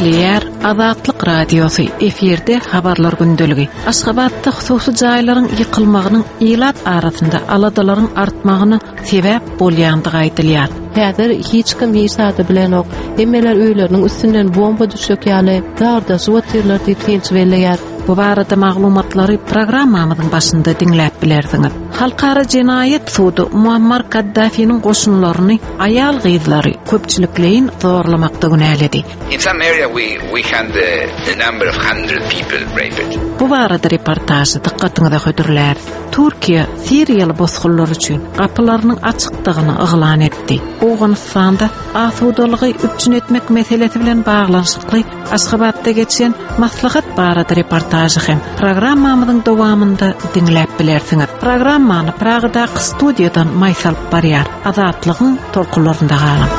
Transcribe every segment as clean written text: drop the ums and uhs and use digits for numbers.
Gepleýär Azatlyk Radiosy, efirde Habarlar gündeligi. Aşgabatda hususy jaýlaryň ýykylmagynyň ilat arasynda aladalaryň artmagyna sebäp bolýandygy aýdylýar. Häzir hiç kim hiç zady bilenok. Hemmeler öýleriniň üstünden bomba düşjek ýaly dardaşyp otyrlar diýip synçy belleýär. Bu barada maglumatlary programmamyzyň başynda diňläp bilersiňiz. Halkara jenaýat sudy Muammar Kaddafiniň goşunlaryny aýal-gyzlary köpçülikleýin zorlamakda günäledi. In some area we we had the, the number of 100 people raped. Bu barada reportažy dykgatyňyza hödürläris. Türkiýe siriýaly bosgunlar üçin gapylarynyň açykdygyny yglan etdi. Owganystanda asudalygy üpjün etmek meselesi bilen baglanyşykly Aşgabatda geçen maslahat barada reportažy hem programmamyzyň dowamynda diňläp bilersiňiz. Programmany Pragadaky studiýadan Maýsa alyp barýar. Azatlygyň tolkunlarynda galyň.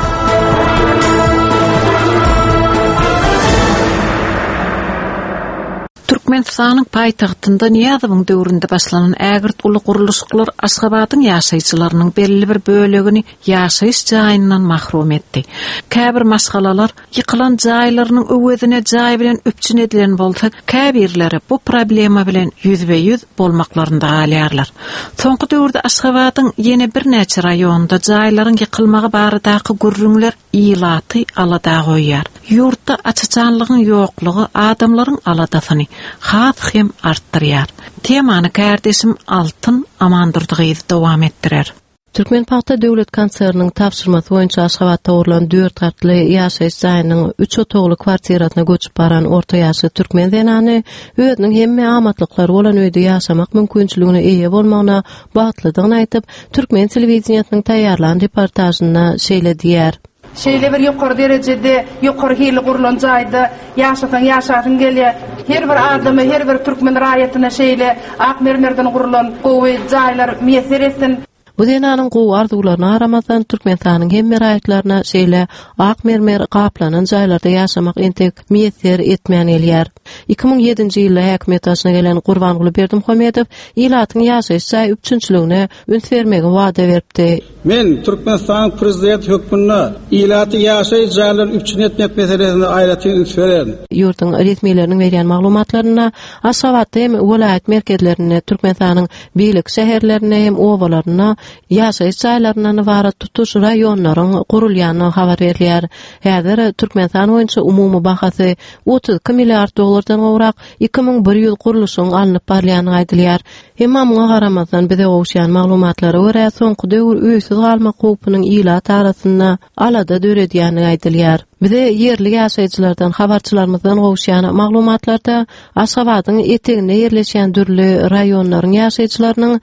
Türkmenistanyň paýtagtynda Nyýazowyň döwründe başlanan ägirt uly gurluşyklar Aşgabadyň ýaşaýjylarynyň belli bir bölegini ýaşaýyş jaýyndan mahrum etdi. Käbir maşgalalar ýykylan jaýlarynyň öwezine jaý bilen üpjün edilen bolsa, käbirleri bu problema bilen ýüzbe-ýüz bolmaklarynda galýarlar. Soňky döwürde Aşgabadyň ýene birnäçe raýonynda jaýlaryň ýykylmagy baradaky gürrüňler ilaty alada goýýar. Ýurtda aç-açanlygyň ýoklugy adamlaryň aladasyny has hem artdyrýar. Temany kärdeşim Altyn Amandurdy gyzy dowam etdirer. Türkmenpagta döwlet konserniniň tabşyrmasy boýunça Aşgabatda gurlan dört gatly ýaşaýyş jaýynyň üç otagly kwartirasyna göçüp baran orta ýaşly türkmen zenany özüniň hemme amatlyklary bolan öýde ýaşamak mümkinçiligine eýe bolmagyna bagtlydygyny aýdyp, türkmen telewideniýesiniň taýýarlan reportažynda şeýle diýýär. Şeýle bir ýokary derejede, ýokary hilli gurlan jaýda ýaşasaň ýaşasyň gelýär. Her bir adama, her bir türkmen raýatyna şeýle ak mermerden gurlan gowy jaýlar miýesser etsin. Bu zenanyň gowy arzuwlaryna garamazdan, Türkmenistanyň hemme raýatlaryna şeýle ak mermer gaplanan jaýlarda ýaşamak entek miýesser etmän gelýär. 2007-nji ýylda häkimiýet başyna gelen Gurbanguly Berdimuhamedow ilatyň ýaşaýyş jaý üpjünçiligine üns bermegi wada beripdi. Men Türkmenistanyň Prezidenti hökmünde ilaty ýaşaýyş jaýlary üpjün etmek meselesine aýratyn üns bererin. Ýurduň resmileriniň berýän maglumatlarynda, Aşgabatda hem welaýat merkezlerinde, Türkmenistanyň beýleki şäherlerinde hem obalarynda ýaşaýyş jaýlaryndan ybarat tutuş raýonlaryň gurulýandygy habar berilýär. Häzir Türkmenistan boýunça umumy bahasy 32 milliard dollardan gowrak 2100 gurluşygyň alnyp barylýandygy aýdylýar. Emma muňa garamazdan, bize gowuşýan maglumatlara görä, soňky döwür öýsüz galmak howpunyň ilat arasynda alada döredýändigi aýdylýar. Bize ýerli ýaşaýjylardan, habarçylarymyzdan gowuşýan maglumatlarda Aşgabadyň eteginde ýerleşýän dürli raýonlaryň ýaşaýjylarynyň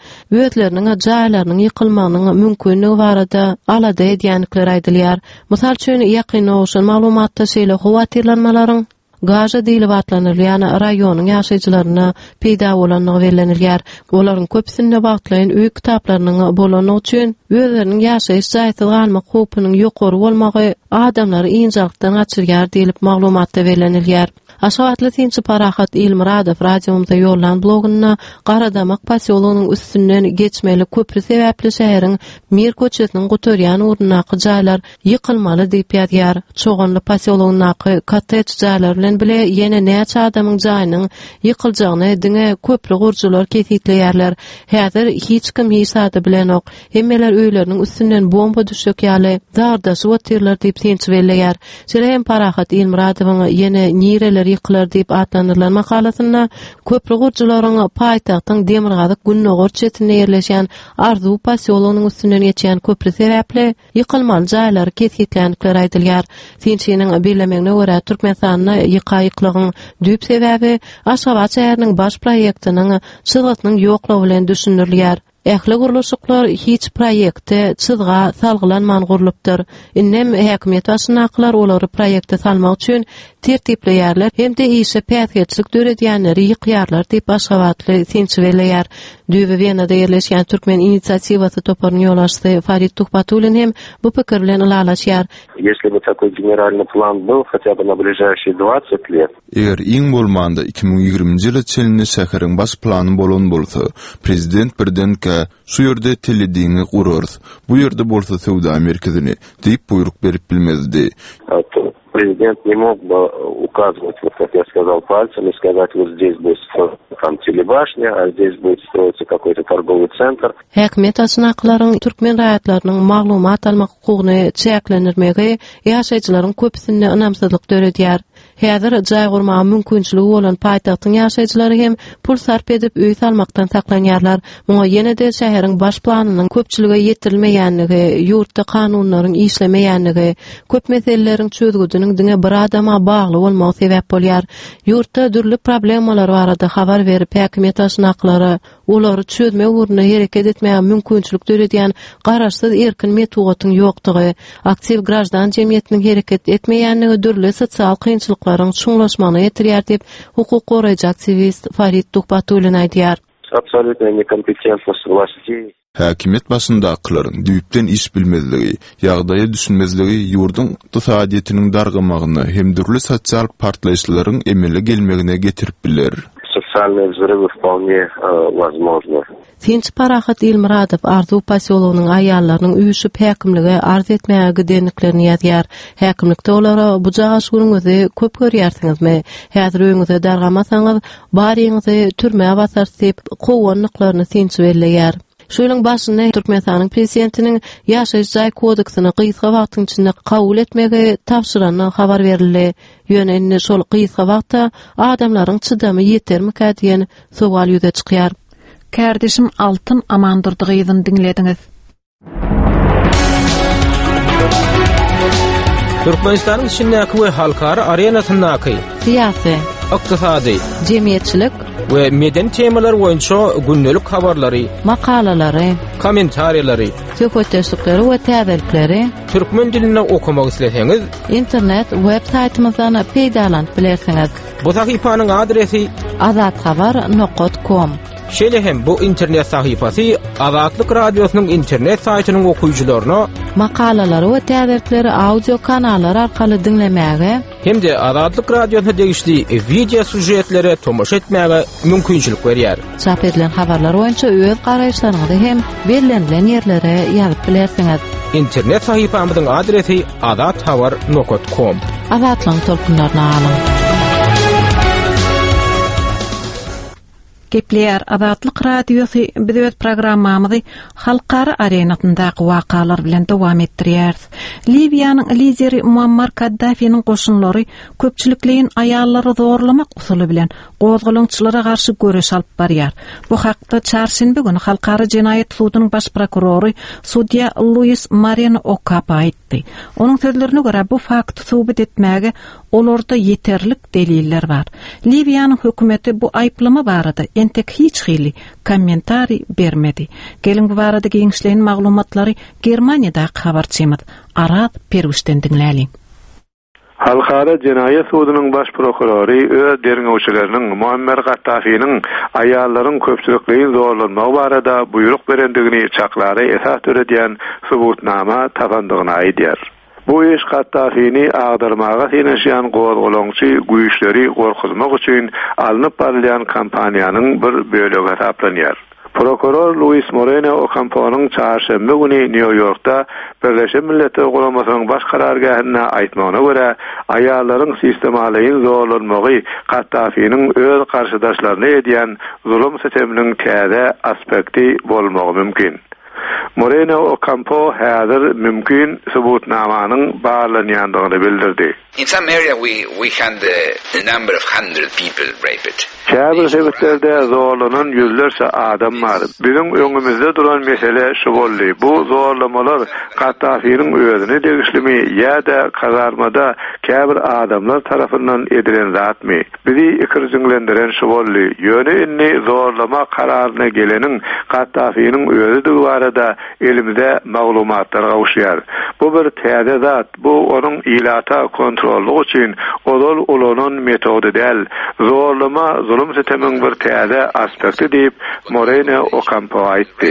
özleriniň jaýlarynyň ýykylmagynyň mümkinligi barada alada edýändikleri aýdylýar. Mysal üçin, ýakynda gowşan maglumatda şeýle howatyrlanmalaryň Gaža diýlip atlandyrylýan raýonyň ýaşaýjylarynda peýda bolandygy bellenilýär. Olaryň köpüsinde wagtlaýyn öý kitaplarynyň bolandygy üçin özleriniň ýaşaýyş jaýsyz galmak howpunyň ýokary bolmagy adamlary ynjalykdan gaçyrýar diýlip maglumatda bellenilýär. Aşgabatly synçy Parahat Ilmyradow radiomyza ýollan blogunda Garadamak posýologynyň üstünden geçmeli köpri sebäpli şäheriň Mir köçesiniň gutarýan ugrundaky jaýlar Ýykylmaly diýip ýazýar. Çoganly posýologyndaky kottedž jaýlar bilen bile ýene näçe adamyň jaýynyň ýykyljagyny diňe köpri gurujylar kesgitleýärler. Häzir hiç kim hiç zady bilenok. Hemmeler öýleriniň üstünden bomba düşjek ýaly dardaşyp otyrlar diýip synçy belleýär. Şeýle hem Parahat Ilmyradowyň Ýene nireler ýykylar diýip atlandyrylan makalasynda köpri gurujylaryň paýtagtyň demirgazyk-gündogar çetinde ýerleşýän Arzuw posýologynyň üstünden geçýän köpri sebäpli Ýykylmaly jaýlary kesgitländikleri aýdylýar. Synçynyň bellemegine görä, Türkmenistanda ýyka-ýyklygyň düýp sebäbi Aşgabat şäheriniň baş proýektiniň çyzgysynyň ýoklugy bilen düşündirilýär. Ähli gurluşyklar hiç proýekte, çyzga salgylanman gurlupdyr. Indem häkimiýet başyndakylar olary proýekte salmak üçin tertipleýärler hem-de işe päsgelçilik döredýänleri ýykýarlar diýip, aşgabatly synçy belleýär. Düýbi Wenada ýerleşýän Türkmen inisiatiwasy toparynyň ýolbaşçysy Farid Tuhbatullin hem bu pikir bilen ylalaşýar. Ýesli by takoý generalnyý plan byl hatýa by na bližaýşiý dwadsat let. Eger iň bolmanda 2020-nji ýyla çenli şäheriň baş plany bolan bolsa, prezident birdenkä, Şu ýerde telediňi gurarys, bu ýerde bolsa söwda merkezini diýip buýruk berip bilmezdi. Prezident не мог бы указывать, вот как я сказал, пальцем и сказать, вот здесь будет строиться там телебашня, а здесь будет строиться какой-то торговый центр. Häkimiýet başyndakylaryň türkmen raýatlarynyň maglumat almak hukugyny çäklendirmegi ýaşaýjylaryň köpüsinde ynamsyzlyk döredýär. Häzir jaý gurmaga mümkinçiligi bolan paýtagtyň ýaşaýjylary hem pul sarp edip öý salmakdan saklanýarlar. Muňa ýene-de şäheriň baş planynyň köpçülige ýetirilmeýänligi, ýurtda kanunlaryň işlemeýänligi, köp meseleleriň çözgüdiniň diňe bir adama bagly bolmagy sebäp bolýar. Ýurtda dürli problemalar barada habar berip, häkimiýet başyndakylara olary çözmek ugrunda hereket etmäge mümkinçilik döredýän garaşsyz erkin metbugatyň ýokdugy, aktiw graždan jemgyýetiniň hereket etmeýänligi dürli sosial kynçylyklaryň çuňlaşmagyna getirýär diýip, hukuk goraýjy aktiwist Farid Tuhbatullin aýdýar. Absolýutnaýa nekompetentnost wlastey. Häkimiýet başyndakylaryň düýpden iş bilmezligi, ýagdaýa düşünmezligi ýurduň ykdysadyýetiniň dargamagyna hem dürli sosial partlaýyşlaryň emele gelmegine getirip biler. Sosialnyý wzrywy wpolne wozmožny. Synçy Parahat Ilmyradow Arzuw posýologynyň aýallarynyň üýşüp häkimlige arz etmäge gidendiklerini ýazýar. Häkimlikde olara bujagaş günüňizi köp görýärsiňizmi? Häzir öýüňize dargamasaňyz, Baryňyzy türmä basarys diýip, kowandyklaryny synçy belleýär. Şu ýylyň başynda Türkmenistanyň Prezidentiniň Ýaşaýyş jaý kodeksini gysga wagtyň içinde kabul etmegi tabşyrandygy habar berildi. Ýöne indi şol gysga wagta adamlaryň çydamy ýetermikä diýen sowal ýüze çykýar. Kärdeşim Altyn Amandurdy gyzyny diňlediňiz. Türkmenistanyň içindäki we halkara arenasyndaky syýasy, ykdysady, jemgyýetçilik we medeni temalar boýunça gündelik habarlary, makalalary, kommentariýalary, söhbetdeşlikleri we täzelikleri türkmen dilinde okamak isleseňiz, internet web saýtymyzdan peýdalanyp bilersiňiz. Bu sahypanyň adresi azathabar nokat kom. Şeýle hem bu internet sahypasy Azatlyk Radiosynyň internet saýtynyň okyjylaryna makalalary we täzelikleri audio kanallar arkaly diňlemäge hem-de Azatlyk Radiosyna degişli wideo sýužetlere tomaşa etmäge mümkinçilik berýär. Çap edilen habarlar boýunça öz garaýyşlaryňyzy hem bellenilen ýerlere ýazyp bilersiňiz. Internet sahypamyzyň adresi azathabar nokat kom. Azatlygyň tolkunlaryna galyň! Gepleýär Azatlyk Radiosy, biz öz programmamyzy halkara arenasyndaky wakalar bilen dowam etdirýäris. Liwiýanyň lideri Muammar Kaddafiniň goşunlary köpçülikleýin aýallary zorlamak usuly bilen gozgalaňçylara garşy göreş alyp barýar. Bu hakda çarşenbe güni Halkara jenaýat sudunyň baş prokurory sudýa Luis Moreno Okapa aýtdy. Onuň sözlerine görä, bu fakty subut etmäge Olarda ýeterlik deliller bar. Liwiýanyň hökümeti bu aýyplama barada entek hiç hili kommentariý bermedi. Geliň bu barada giňişleýin maglumatlary Germaniýadaky habarçymyz Araz Perwişden diňläliň. Halkara jenaýat sudunyň baş prokurory öz derňewçileriniň Muammer Gaddafiniň aýallaryň köpçülikleýin zorlanmagy barada buýruk berendigini çaklara esas döredýän subutnama tapandygyny aýdýar. Bu iş Kaddafini agdarmaga synanyşýan gozgalaňçy güýçleri gorkuzmak üçin alnyp barylýan kampaniýanyň bir bölegi hasaplanýar. Prokuror Luis Moreno Okamponyň çarşenbe güni Nýu-Ýorkda Birleşen Milletler Guramasynyň Baş karargähinde aýtmagyna görä, aýallaryň sistemalaýyn zorlanmagy Kaddafiniň öz garşydaşlaryna edýän zulum-süteminiň täze aspekti bolmagy mümkin. Moreno Okampo häzir mümkin subutnamanyň barlanýandygyny bildirdi. In some area we we had the number of hundred people raped. Käbir sebitlerde zorlanan ýüzlerçe adam bar. Biziň öňümizde duran mesele şu boldy, bu zorlamalar Kaddafiniň özüne degişlimi ýa-da kazarmada käbir adamlar tarapyndan edilen zatmy? Bizi ikirjiňlendiren şu boldy. Ýöne indi zorlama kararyna geleniň Kaddafiniň özüdigi barada elimize maglumatlar gowuşýar. Bu bir täze zat, bu onuň ilata kontrollyk üçin ozal ulanan metody däl. Zorlama zulum-sütemiň bir täze aspekti diýip, Moreno Okampo aýtdy.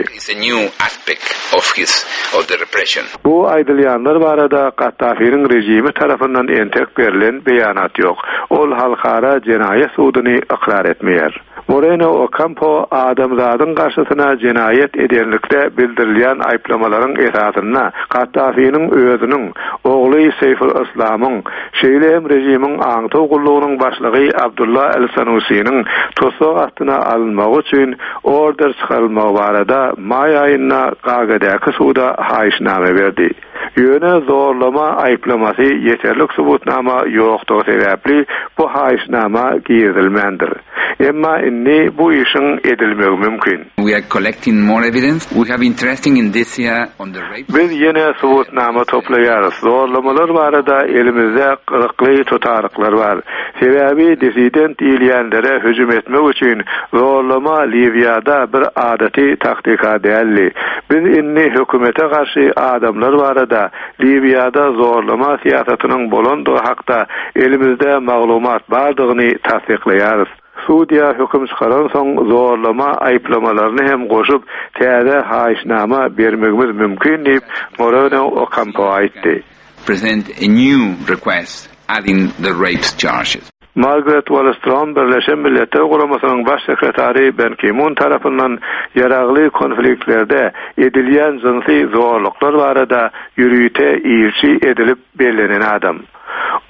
Bu aýdylýanlar barada Kaddafiniň režimi tarapyndan entek berlen beýanat ýok. Ol Halkara jenaýat suduny ykrar etmeýär. Moreno Okampo adamzadyň garşysyna jenaýat edenlikde bildirilýän. bildirilýän aýyplamalaryň esasynda Kaddafiniň özüniň, ogly Seýful Yslamyň, şeýle hem režimiň aňtaw gullugynyň başlygy Abdulla el-Sanusiniň tussag astyna alynmagy üçin order çykarylmagy barada maý aýynda Gaagadäki suda haýyşnama berdi. Ýöne zorlama aýyplamasy ýeterlik subutnama ýokdugy sebäpli bu haýyşnama girizilmändir. Emma indi bu işiň edilmegi mümkin. We are collecting more evidence. We have interesting indicia on the rape. Biz ýene subutnama toplaýarys. Zorlamalar barada elimizde gyzykly tutaryklar bar. Sebäbi dissident diýilýänlere hüjüm etmek üçin zorlama Liwiýada bir adaty taktika däldi. Biz indi hökümete garşy adamlar barada Liwiýada zorlama syýasatynyň bolandygy hakda elimizde maglumat bardygyny tassyklaýarys. Sudýa höküm çykaransoň zorlama aýyplamalaryny hem goşup täze haýyşnama bermegimiz mümkin diýip, Moreno Okampo aýtdy. Present a new request adding the rape charges. Margaret Wallstrom Birleşen Milletler Guramasynyň Baş sekretary Ben Ki-mun tarapyndan ýaragly konfliktlerde edilýän jynsy zorluklar barada ýörite ilçi edilip bellenen adam.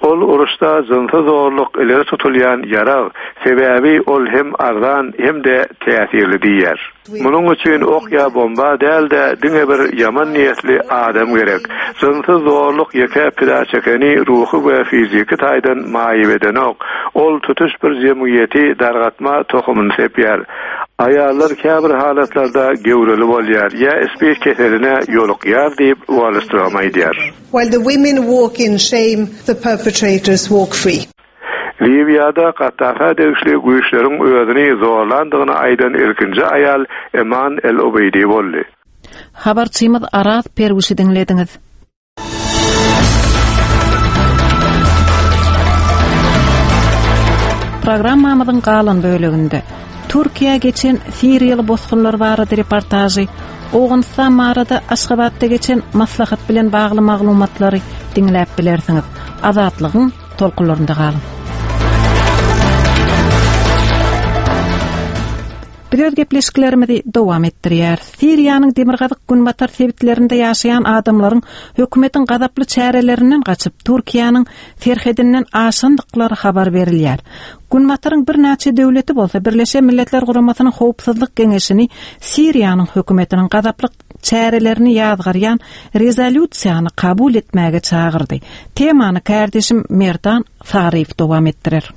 Ol uruşda jynsy zorluk ileri tutulýan ýarag, sebäbi ol hem arzan hem-de täsirli diýýär. Munuň üçin ok ýa bomba däl-de, diňe bir ýaman niýetli adam gerek. Jynsy zorluk ýeke pida çekeni ruhy we fiziki taýdan maýyp edenok, ol tutuş bir jemgyýeti dargatma tohumyny sepýär. Aýallar käbir halatlarda göwreli bolýar ýa spid keseline ýolukýar diýip, Wallstrom aýdýar. While the women walk in shame, the perpetrators walk free. Liwiýada Kaddafä degişli güýçleriň özüni zorlandygyny aýdan ilkinji aýal Eman el-Ubeýdi boldy. Habarçymyz Araz Perwişi diňlediňiz. Programmamyzyň galan böleginde Türkiýä geçen siriýaly bosgunlar barada reportažy, Owganystan barada Aşgabatda geçen maslahat bilen bagly maglumatlary diňläp bilersiňiz. Azatlygyň tolkunlarynda galyň. Biz öz gepleşiklerimizi dowam etdirýäris. Siriýanyň demirgazyk-günbatar sebitlerinde ýaşaýan adamlaryň hökümetiň gazaply çärelerinden gaçyp, Türkiýäniň serhedinden aşandyklary habar berilýär. Günbataryň birnäçe döwleti bolsa Birleşen Milletler Guramasynyň Howpsuzlyk Geňeşini Siriýanyň hökümetiniň gazaply çärelerini ýazgarýan rezolýusiýany kabul etmäge çagyrdy. Temany kärdeşim Merdan Saryýew dowam etdirer.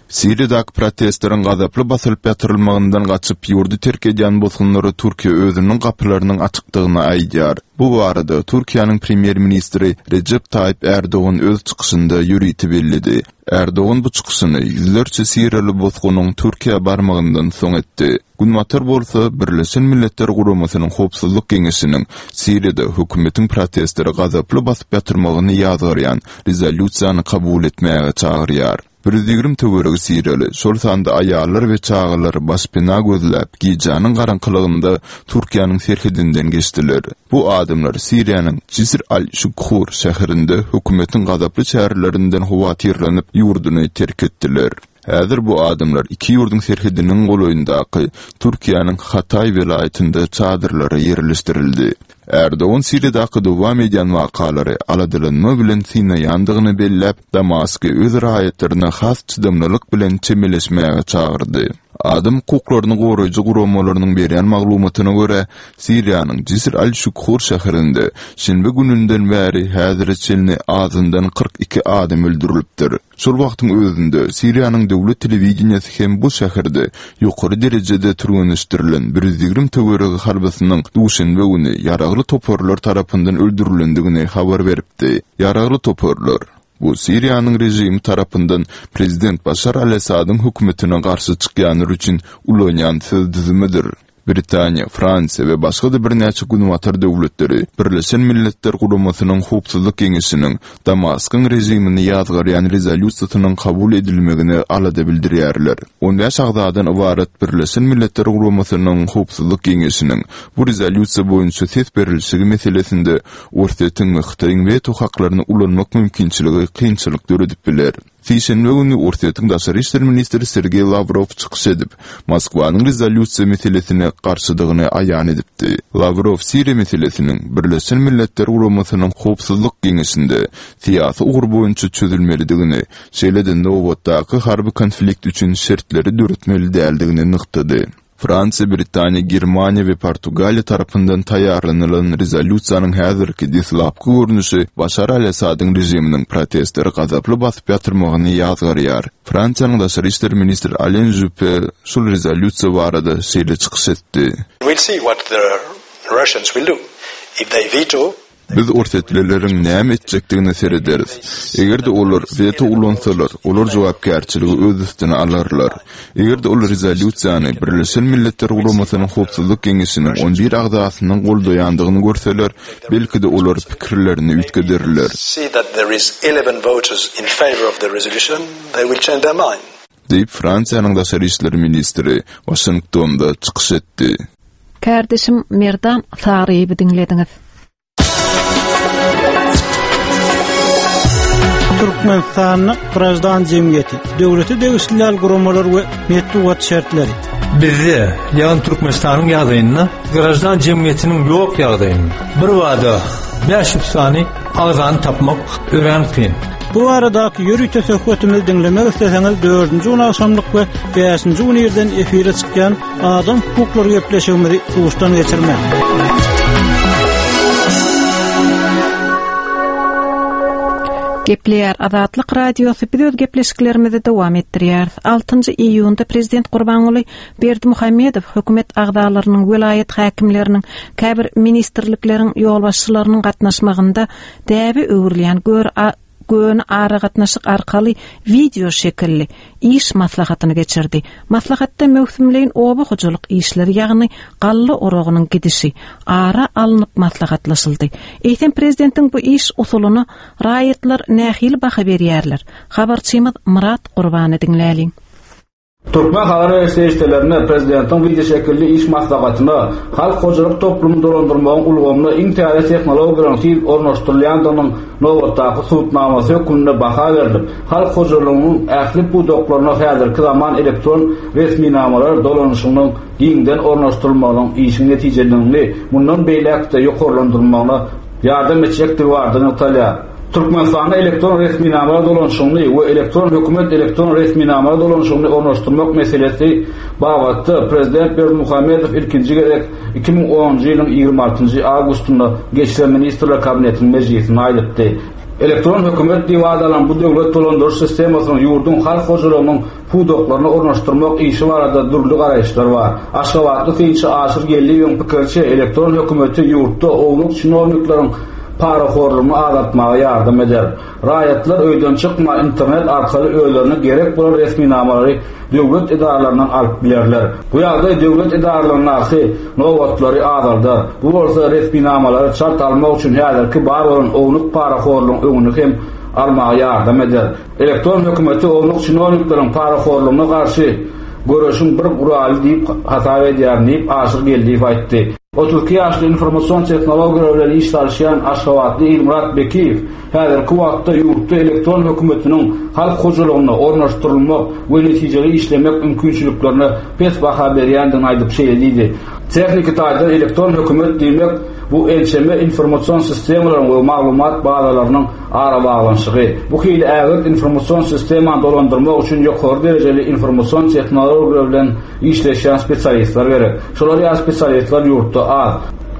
Siriýadaky protestleriň gazaply basylyp ýatyrylmagyndan gaçyp, ýurdy terk edýän bosgunlara Türkiýe özüniň gapylarynyň açykdygyny aýdýar. Bu barada Türkiýäniň premýer-ministri Rejep Taýyp Ärdogan öz çykyşynda ýörite belledi. Ärdogan bu çykyşyny ýüzlerçe siriýaly bosgunyň Türkiýä barmagyndan soň etdi. Günbatar bolsa Birleşen Milletler Guramasynyň Howpsuzlyk Geňeşiniň Siriýada hökümetiň protestleri gazaply basyp ýatyrmagyny ýazgarýan rezolýusiýany kabul etmäge çagyrýar. 120 töweregi siriýaly, şol sanda aýallar we çagalar başpena gözläp, gijäniň garaňkylygynda Türkiýäniň serhedinden geçdiler. Bu adamlar Siriýanyň Jisr al-Şugkur şäherinde hökümetiň gazaply çärelerinden howatyrlanyp, ýurduny terk etdiler. Häzir bu adamlar iki ýurduň serhediniň golaýyndaky Türkiýäniň Hataý welaýatynda çadyrlara ýerleşdirildi. Ärdogan Siriýadaky dowam edýän wakalary aladalanma bilen synaýandygyny belläp, Damasky öz raýatlaryna has çydamlylyk bilen çemeleşmäge çagyrdy. Adam hukuklaryny goraýjy guramalarynyň berýän maglumatyna görä, Siriýanyň Jisr al-Şugkur şäherinde şenbe gününden bäri häzire çenli azyndan 42 adam öldürilipdir. Şol wagtyň özünde, Siriýanyň döwlet telewideniýesi hem bu şäherde ýokary derejede türgenleşdirilen 120 töweregi harbysynyň duşenbe güni ýaragly toparlar tarapyndan öldürilendigini habar beripdi. Ýaragly toparlar, bu Siriýanyň režimi tarapyndan prezident Başar al-Assadyň hökümetine garşy çykýanlar üçin ulanýan söz düzümidir. Britaniýa, Fransiýa we başga-da birnäçe günbatar döwletleri Birleşen Milletler Guramasynyň Howpsuzlyk Geňeşiniň Damaskyň režimini ýazgarýan rezolýusiýasynyň kabul edilmegine alada bildirýärler. On bäş agzadan ybarat Birleşen Milletler Guramasynyň Howpsuzlyk Geňeşiniň bu rezolýusiýa boýunça ses berilişigi meselesinde Orsýetiň we Hytaýyň weto haklaryny ulanmak mümkinçiligi kynçylyk döredip biler. Sişenbe güni Orsýetiň daşary işler ministri Sergeý Lawrow çykyş edip, Moskwanyň rezolýusiýa meselesine garşydygyny aýan edipdi. Lawrow Siriýa meselesiniň Birleşen Milletler Guramasynyň Howpsuzlyk Geňeşinde syýasy ugur boýunça çözülmelidigini, şeýle-de nobatdaky harby konflikt üçin şertleri döretmeli däldigini nygtady. Fransiýa, Britaniýa, Germaniýa we Portugaliýa tarapyndan taýýarlanylan rezolýusiýanyň häzirki deslapky görnüşi Başar al-Assadyň režiminiň protestleri gazaply basyp ýatyrmagyny ýazgarýar. Fransiýanyň daşary işler ministri Alen Žüppe şol rezolýusiýa barada şeýle çykyş etdi. We'll see what the Russians will do. If they veto, Biz orsýetlileriň näme etjekdigine serederis. Eger-de olar weto ulansalar, olar jogapkärçiligi öz üstüne alarlar. Eger-de ol rezolýusiýany Birleşen Milletler Guramasynyň Howpsuzlyk Geňeşiniň on bir agzasynyň goldaýandygyny görseler, belki-de olar pikirlerini üýtgederler. Diýip, Fransiýanyň daşary işler ministri Waşingtonda çykyş etdi. Kärdeşim Merdan Saryýewi diňlediňiz. Türkmenistanda graždan jemgyýeti, döwlete degişli däl guramalar we metbugat şertleri. Bizde, ýagny Türkmenistanyň ýagdaýynda graždan jemgyýetiniň ýok ýagdaýynda birbada 500 sany agzany tapmak örän kyn. Bu baradaky ýörite söhbetimizi diňlemek isleseňiz, dördünji gün agşamlyk we bäşinji gün irden efire çykýan Adam hukuklary gepleşigimizi duşdan geçirmäň. Gepleýär Azatlyk Radiosy biz öz gepleşiklerimizi dowam etdirýäris. 6-njy iýunda Prezident Gurbanguly Berdimuhamedow hökümet agzalarynyň, welaýat häkimleriniň, käbir ministrlikleriň ýolbaşçylarynyň gatnaşmagynda däbe öwrülýän gör göni aragatnaşyk arkaly wideo şekilli iş maslahatyny geçirdi. Maslahatda möwsümleýin oba hojalyk işleri, ýagny galla oragynyň gidişi ara alnyp maslahatlaşyldy. Eýsem prezidentiň bu iş usulyna raýatlar nähili baha berýärler? Habarçymyz Myrat Gurbany diňläliň. Türkmen habar beriş serişdelerinde prezidentiň wideoşekilli iş maslahatyna halk hojalyk toplumyny dolandyrmagyň ulgamyna iň täze tehnologiýalaryň tiz ornaşdyrylýandygynyň nobatdaky subutnamasy hökmünde baha berlip, halk hojalygynyň ähli pudaklaryna häzirki zaman elektron resminamalar dolanyşygynyň giňden ornaşdyrylmagynyň işiň netijeliligini mundan beýläk-de ýokarlandyrylmagyna ýardam etjekdigi barada nygtalýar. Türkmenistanda elektron resminamalar dolanyşygyny we elektron hökümet elektron resminamalar dolanyşygyny ornaşdyrmak meselesi babatda prezident Berdimuhamedow ilkinji gezek 2010-njy ýylyň 26-njy awgustynda geçiren Ministrler Kabinetiniň mejlisinde aýdypdy. Elektron hökümet diýip at alan bu döwlet dolandyryş sistemasynyň ýurduň halk hojalygynyň pudaklaryna ornaşdyrmak işi barada dürli garaýyşlar bar. Aşgabatly synçy Aşyr Geldiýewiň pikiriçe, elektron hökümeti ýurtda ownuk çinownikleriň parahorlugyny azaltmaga ýardam eder. Raýatlar öýden çykman internet arkaly özlerine gerek bolan resminamalary döwlet edaralaryndan alyp bilerler. Bu ýagdaý döwlet edaralaryndaky nobatlary azaldar. Bu bolsa resminamalary çalt almak üçin häzirki bar bolan ownuk parahorlugyň öňüni hem almaga ýardam eder. Elektron hökümeti ownuk çinownikleriň parahorlugyna garşy göreşiň bir guraly diýip hasap edýärin diýip, Aşyr Geldiýew aýtdy. 32 ýaşly informasion tehnologiýalar bilen iş salyşýan aşgabatly Ilmyrat Bekiýew häzirki wagtda ýurtda elektron hökümetiniň halk hojalygynda ornaşdyrylmak we netijeli işlemek mümkinçiliklerine pes baha berýändigini aýdyp şeýle diýdi, Tehniki taýdan elektron hökümet diýmek bu ençeme informasion sistemalaryň we maglumat bazalarynyň Arabaglanyşygy, bu hili ägirt informasion sistemany dolandyrmak üçin ýokary derejeli informasion tehnologiýalar bilen işleşýän spesialistler gerek. Şolar ýaly spesialistler ýurtda az.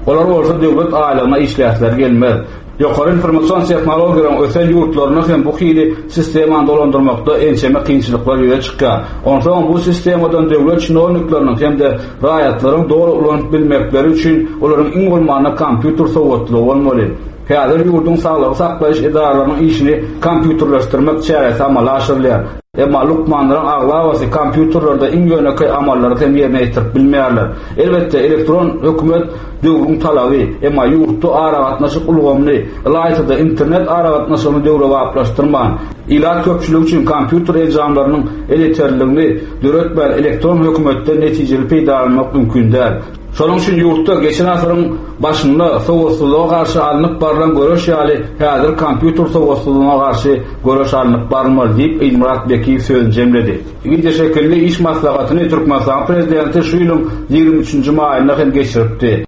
Olar bolsa döwlet aýlygyna işläsleri gelmez. Ýokary informasion tehnologiýalaryň ösen ýurtlarynda hem bu hili sistemany dolandyrmakda ençeme kynçylyklar ýüze çykýar. Onsoňam bu sistemadan döwlet çinownikleriniň hem-de raýatlaryň doly ulanyp bilmekleri üçin olaryň iň bolmanda kompýuter sowatlylygy bolmaly. Häzir ýurduň saglygy saklaýyş edaralarynyň işini kompýuterleşdirmek çäresi amala aşyrylýar. Emma lukmanlaryň aglabasy kompýuterlerde iň ýönekeý amallary hem ýerine ýetirip bilmeýärler. Elbetde, elektron hökümet döwrüň talaby, emma ýurtda aragatnaşyk ulgamyny, ylaýta-da internet aragatnaşygyny döwrebaplaşdyrman. Ilat köpçüligi üçin kompýuter enjamlarynyň elýeterliligini döretmän elektron hökümetden netijeli peýdalanmak mümkin däl. Şonuň üçin ýurtda geçen asyryň başynda sowatsyzlyga garşy alnyp barlan göreş ýaly häzir kompýuter sowatsyzlygyna garşy göreş alnyp barylmaly diýip, Ilmyrat Bekiýew sözüni jemledi. Wideoşekilli iş maslahatyny Türkmenistanyň Prezidenti şu ýylyň 23-nji maýynda hem geçiripdi.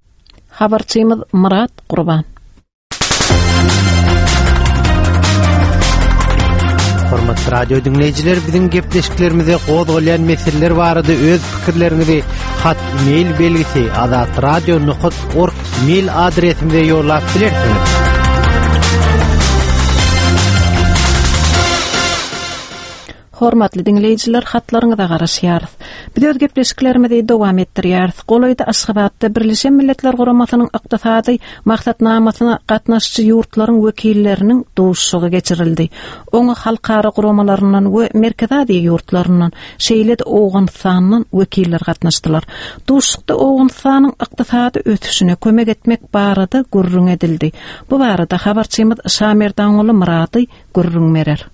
Habarçymyz Myrat Gurban. Hormatly radio diňleýjiler, biziň gepleşiklerimize gozgalýan meseleler barada öz pikirleriňizi hat mail belgisi azatradio.org mail adresimize ýollap bilersiňiz. Hormatly diňleýjiler, hatlaryňyza garaşýarys. Biz öz gepleşiklerimizi dowam etdirýäris. Golaýda Aşgabatda Birleşen Milletler Guramasynyň Ykdysady Maksatnamasyna gatnaşyjy ýurtlaryň wekilleriniň duşuşygy geçirildi. Oňa halkara guramalaryndan we Merkezi Aziýa ýurtlaryndan, şeýle-de Owganystandan wekiller gatnaşdylar. Duşuşykda Owganystanyň ykdysady ösüşine kömek etmek barada gürrüň edildi. Bu barada habarçymyz Şamerdanguly Myrady gürrüň berer.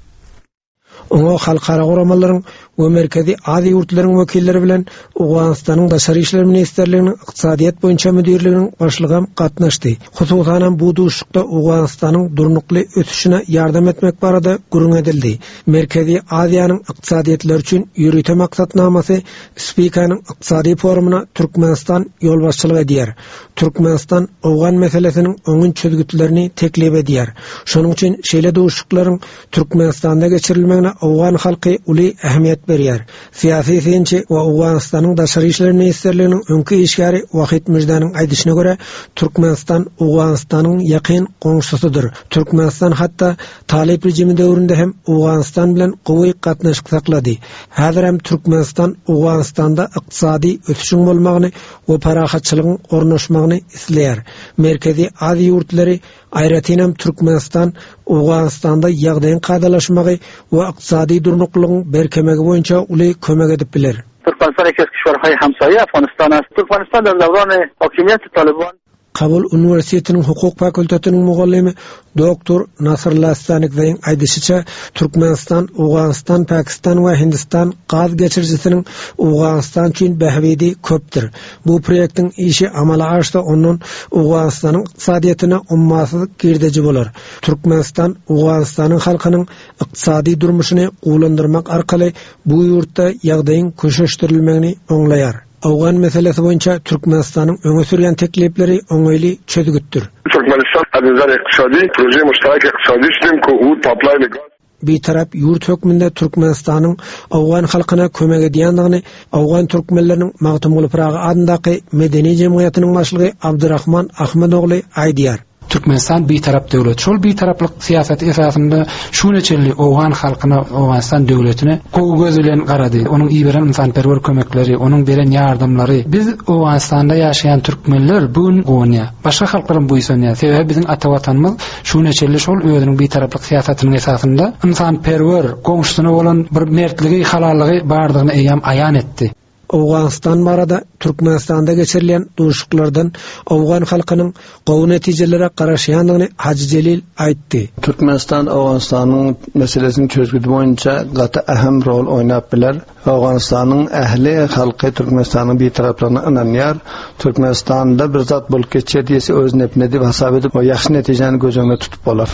Oňa halkara guramalaryň we Merkezi Aziýa ýurtlarynyň wekilleri bilen Owganystanyň Daşary işler ministrliginiň Ykdysadyýet boýunça müdirliginiň başlygam gatnaşdy. Hususanam bu duşuşykda Owganystanyň durnukly ösüşine ýardam etmek barada gürrüň edildi. Merkezi Aziýanyň ykdysadyýetleri üçin ýörite maksatnamasy Spikanyň ykdysady forumyna Türkmenistan ýolbaşçylyk edýär. Türkmenistan owgan meselesiniň oňyn çözgütlerini teklip edýär. Şonuň üçin şeýle duşuşyklaryň Türkmenistanda geçirilmegine owgan halky uly ähmiýet berýär. Syýasy synçy we Owganystanyň Daşary işler ministrliginiň öňki işgäri Wahid Müždäniň aýdyşyna görä, Türkmenistan Owganystanyň ýakyn goňşusydyr. Türkmenistan hatda talyp režimi döwründe hem Owganystan bilen gowy gatnaşyk saklady. Häzirem Türkmenistan Owganystanda ykdysady ösüşiň bolmagyny we parahatçylygyň ornaşmagyny isleýär. Merkezi Aziýa ýurtlary Aýratynam Türkmenistan Owganystanda ýagdaýyň kadalaşmagy we ykdysady durnuklylygyň berkemegi boýunça uly kömek edip biler. Türkmenistan یکی از کشورهای همسایه افغانستان است. ترکمنستان در دوران حاکمیت طالبان Kabul uniwersitetiniň hukuk fakultetiniň mugallymy doktor Nasrullah Stanikzaýyň aýdyşyça, Türkmenistan, Owganystan, Pakistan we Hindistan gaz geçirijisiniň Owganystan üçin bähbidi köpdür. Bu proýektiň işi amala aşsa, ondan Owganystanyň ykdysadyýetine ummasyz girdeji bolar. Türkmenistan Owganystanyň halkynyň ykdysady durmuşyny gowulandyrmak arkaly bu ýurtda ýagdaýyň köşeşdirilmegini oňlaýar. Owgan meselesi boýunça Türkmenistanyň öňe sürýän teklipleri oňaýly çözgütdir. Türkmenistan از نظر اقتصادی پروژه مشترک اقتصادی شدیم که او پاپلاین گاز Bitarap ýurt hökmünde Türkmenistanyň owgan halkyna kömek edýändigini owgan türkmenleriniň Magtymguly Pyragy adyndaky medeni jemgyýetiniň başlygy Abdurahman Ahmedogly aýdýar. Türkmenistan bitarap döwlet. Şol bitaraplyk syýasaty esasynda şu güne çenli owgan halkyna, Owganystan döwletine gowy göz bilen garady. Onuň iberen ynsanperwer kömekleri, onuň beren ýardamlary biz Owganystanda ýaşaýan türkmenler bu gün guwanýar. Başga halklaram buýsanýar. Sebäbi biziň ata Watanymyz Şu güne çenli şol özüniň bitaraplyk syýasatynyň esasynda ynsanperwer, goňşusyna bolan bir mertligi, halallygy bardygyny eýýäm aýan etdi. Owganystan barada Türkmenistanda geçirilýän duşuşyklardan owgan halkynyň gowy netijelere garaşýandygyny Hajy Jelil aýtdy. Türkmenistan Owganystanyň meselesiniň çözgüdi boýunça gaty ähim rol oýnap biler. Owganystanyň ähli halky Türkmenistanyň bitaraplygyna ynanýar. Türkmenistanda bir zat bolup geçýär diýse öz nepine diýip hasap edip, ýagşy netijäni göz öňünde tutup bolar.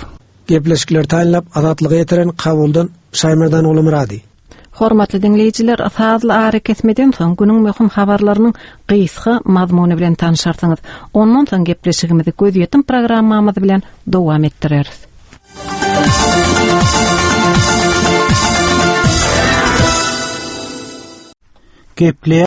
Gepleşikleri taýynlap Azatlyga ýetiren Kabuldan Şaýmerdan Gulumyrady. Hormatly diňleýjiler, sazly arakesmeden soň günüň möhüm habarlarynyň gysga mazmuny bilen tanşarsyňyz. Ondan soň gepleşigimizi gözýetim programmamyz bilen dowam etdireris. Gepleýär.